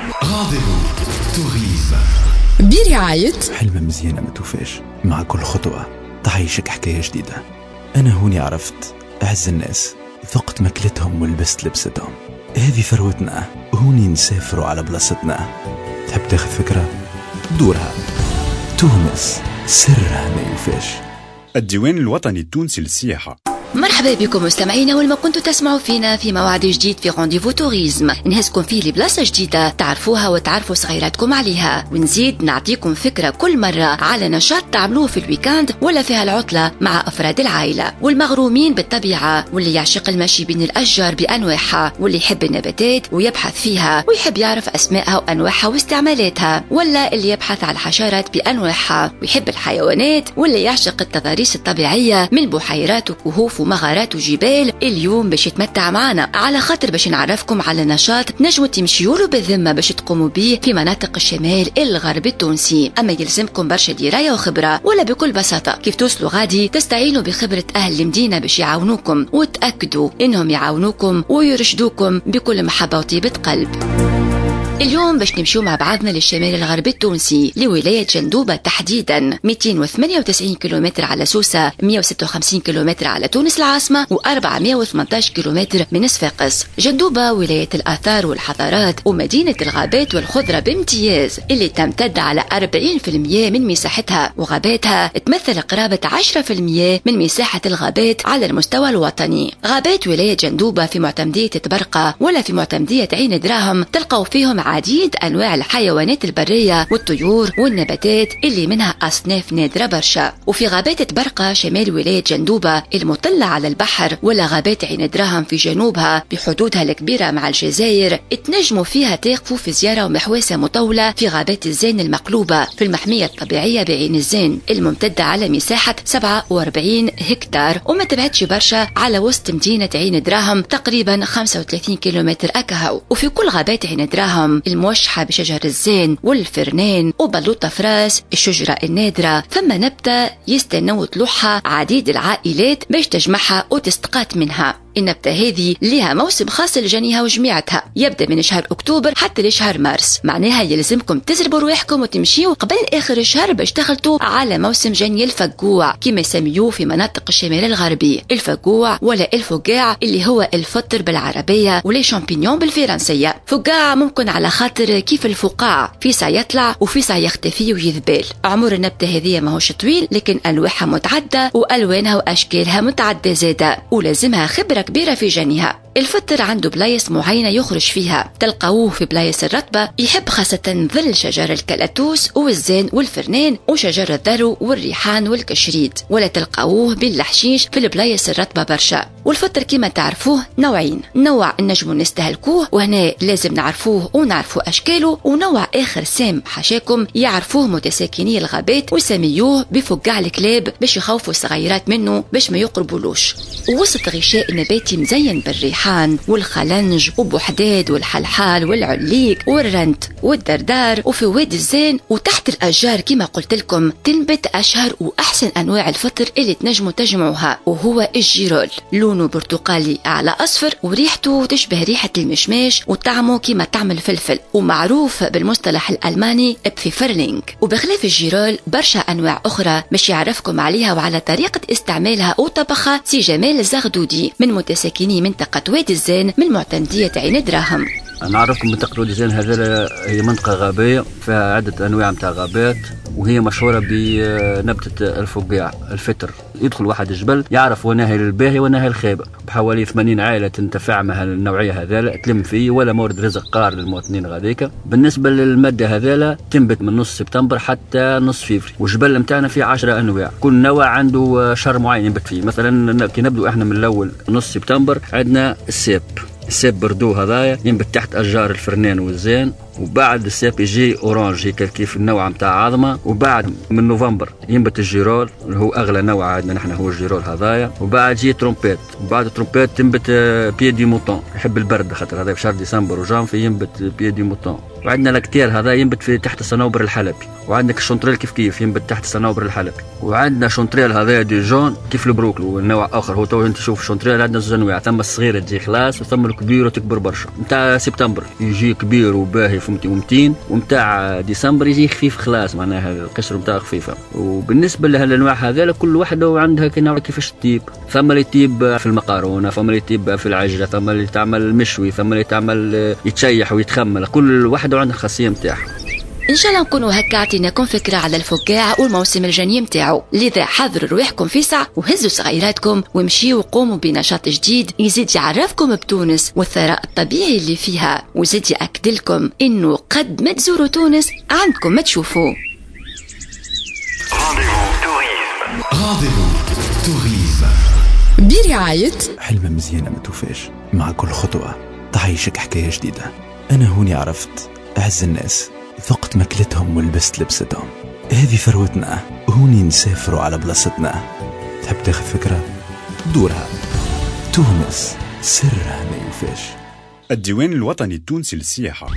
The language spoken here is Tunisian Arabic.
Rendez-vous tourisme برعاية حلمة مزيانة ما توفاش، مع كل خطوة تعيشك حكاية جديدة. أنا هوني عرفت أعز الناس، ذقت ماكلتهم ولبست لبستهم. هذه ثروتنا، هوني نسافروا على بلاصتنا. تحب تاخذ فكرة؟ دورها. تونس سرها ما يوفاش. الديوان الوطني التونسي للسياحة. مرحبا بكم مستمعينا والما كنتوا تسمعوا فينا في موعد جديد في rendez-vous tourisme، نهزكم فيه لبلاصه جديدة تعرفوها وتعرفوا صغيراتكم عليها، ونزيد نعطيكم فكرة كل مرة على نشاط تعملوه في ال week-end ولا فيها العطلة مع افراد العائلة والمغرومين بالطبيعة، واللي يعشق المشي بين الاشجار بانواعها، واللي يحب النباتات ويبحث فيها ويحب يعرف اسمائها وانواعها واستعمالاتها، ولا اللي يبحث على الحشرات بانواعها ويحب الحيوانات، واللي يعشق التضاريس الطبيعية من بحيرات وكهوف ومغارات وجبال. اليوم باش يتمتع معنا على خاطر باش نعرفكم على نشاط نجموا تمشيولو بالذمه باش تقوموا به في مناطق الشمال الغربي التونسي. اما يلزمكم برشا دراية وخبره، ولا بكل بساطة كيف توصلوا غادي تستعينوا بخبره اهل المدينة باش يعاونوكم، وتاكدوا انهم يعاونوكم ويرشدوكم بكل محبة وطيبة قلب. اليوم باش نمشيو مع بعضنا للشمال الغربي التونسي، لولاية جندوبة تحديدا، 298 كيلومتر على سوسة، 156 كيلومتر على تونس العاصمة، و418 كيلومتر من صفاقس. جندوبة ولاية الآثار والحضارات ومدينة الغابات والخضرة بامتياز، اللي تمتد على 40% من مساحتها، وغاباتها تمثل قرابة 10% من مساحة الغابات على المستوى الوطني. غابات ولاية جندوبة في معتمدية تبرقة ولا في معتمدية عين دراهم تلقوا فيهم عديد أنواع الحيوانات البرية والطيور والنباتات اللي منها أصناف نادرة برشا. وفي غابات تبرقة شمال ولاية جندوبة المطلة على البحر، ولا غابات عين دراهم في جنوبها بحدودها الكبيرة مع الجزائر، تنجموا فيها تقفوا في زيارة ومحواسة مطولة في غابات الزين المقلوبة في المحمية الطبيعية بعين الزين الممتدة على مساحة 47 هكتار، وما تبعدش برشا على وسط مدينة عين دراهم تقريبا 35 كيلومتر أكهو. وفي كل غابات عين دراهم الموشحة بشجر الزين والفرنان وبلوطة فراس الشجرة النادرة، ثم نبتة يستنوا طلوعها عديد العائلات باش تجمعها وتستقات منها. النبتة هذه لها موسم خاص لجنيها وجميعتها، يبدأ من شهر أكتوبر حتى لشهر مارس، معناها يلزمكم تزربوا رواحكم وتمشيوا قبل آخر الشهر باش تخلطوا على موسم جني الفقوع كما يسميوه في مناطق الشمال الغربي، الفقوع ولا الفقاع اللي هو الفطر بالعربية و les champignons بالفرنسية. فقاع ممكن على خاطر كيف الفقاع في ساعة يطلع وفي ساعة يختفي ويذبال. عمر النبتة هذه ماهوش طويل، لكن ألواحها متعدة وألوانها وأشكالها متعدة زادة، ولازمها خبرة كبيرة في جنيها. الفطر عنده بلايص معينة يخرج فيها، تلقاوه في بلايص الرطبة، يحب خاصة ظل شجر الكلاتوس والزين والفرنان وشجر الذرو والريحان والكشريد، ولا تلقاوه بالحشيش في البلايص الرطبة برشا. والفطر كما تعرفوه نوعين، نوع نجمو نستهلكوه وهنا لازم نعرفوه ونعرفوا أشكاله، ونوع آخر سام حشاكم يعرفوه متساكني الغابات ويسميوه بفقاع الكلاب باش يخوفوا الصغيرات منه باش ما يقربولوش. وسط غشاء نباتي مزين بالريحان والخلنج وبوحداد والحلحال والعليك والرنت والدردار، وفي وادي الزين وتحت الأشجار كما قلت لكم تنبت أشهر وأحسن أنواع الفطر اللي تنجموا تجمعوها، وهو ال girolle. لونه برتقالي على أصفر وريحته تشبه ريحة المشماش وطعمه كما طعم الفلفل، ومعروف بالمصطلح الألماني Pfifferling. وبخلاف ال girolle برشا أنواع أخرى مش يعرفكم عليها وعلى طريقة استعمالها وطبخها سي جمال الزغدودي من متساكني منطقة وادي الزين من معتمدية عين دراهم. نعرفكم منطقة وادي الزين هذا هي منطقة غابية فيها عدة أنواع متاع غابات، وهي مشهورة بنبتة الفقاع الفطر. يدخل واحد الجبل يعرف وناهي الباهي وناهي الخيبة، بحوالي 80 عائلة تنتفع مع النوعية هذا تلم فيه، ولا مورد رزق قار للمواطنين غاديك. بالنسبة للمادة هذا تنبت من نص سبتمبر حتى نص فيفري، والجبل نتاعنا فيه 10 أنواع، كل نوع عنده شهر معين ينبت فيه. مثلا كي نبدو احنا من الأول نص سبتمبر عندنا ال cèpe، ال cèpe bordeaux هذايا ينبت تحت أشجار الفرنان والزين، وبعد ال cèpe يجي orange هيك كيف النوع نتاع عظمه، وبعد من نوفمبر ينبت ال girolle اللي هو اغلى نوع عندنا نحن هو ال girolle هذايا، وبعد يجي ترومبيت، وبعد ترومبيت تنبت pied-de-mouton يحب البرد خاطر هذا في شهر ديسمبر وجانفي ينبت pied-de-mouton. وعندنا lactaire هذا ينبت في تحت الصنوبر الحلبي، وعندك ال chanterelle كيف كيف ينبت تحت الصنوبر الحلبي، وعندنا chanterelle هذا Dijon كيف البروكلو والنوع اخر. هو تو انت شوف chanterelle عندنا زوج انواع، ثم الصغيرة تجي خلاص وثم الكبيرة. وكبيره تكبر برشا. نتاع سبتمبر يجي كبير وباهي فهمتي ومتين، ونتاع ديسمبر يجي خفيف خلاص، معناها القشر نتاعو خفيفة. وبالنسبة لهالانواع هذا كل واحدة وعندها كيفاش تطيب، ثم اللي تطيب في المقارونه، ثم اللي تطيب في العجله، ثم اللي تعمل مشوي، ثم اللي تعمل يتشيح ويتخمل، كل واحدة وعندها الخاصية نتاعها. ان شاء الله نكونوا هكا عطيناكم فكرة على الفقاع والموسم الجني متاعو. لذا حضروا رواحكم في ساعة وهزوا صغيراتكم ومشيوا وقوموا بنشاط جديد يزيد يعرفكم بتونس والثراء الطبيعي اللي فيها، وزيد يأكد لكم انه قد ما تزوروا تونس عندكم ما تشوفوا. Rendez-vous tourisme برعاية حلمة مزيانة ما توفاش، مع كل خطوة تعيشك حكاية جديدة. أنا هوني عرفت أعز الناس، ذقت ماكلتهم ولبست لبستهم. هذه ثروتنا، هوني نسافروا على بلاصتنا. تحب تاخذ فكرة؟ دورها. تونس سرها ما يوفاش. الديوان الوطني التونسي للسياحة.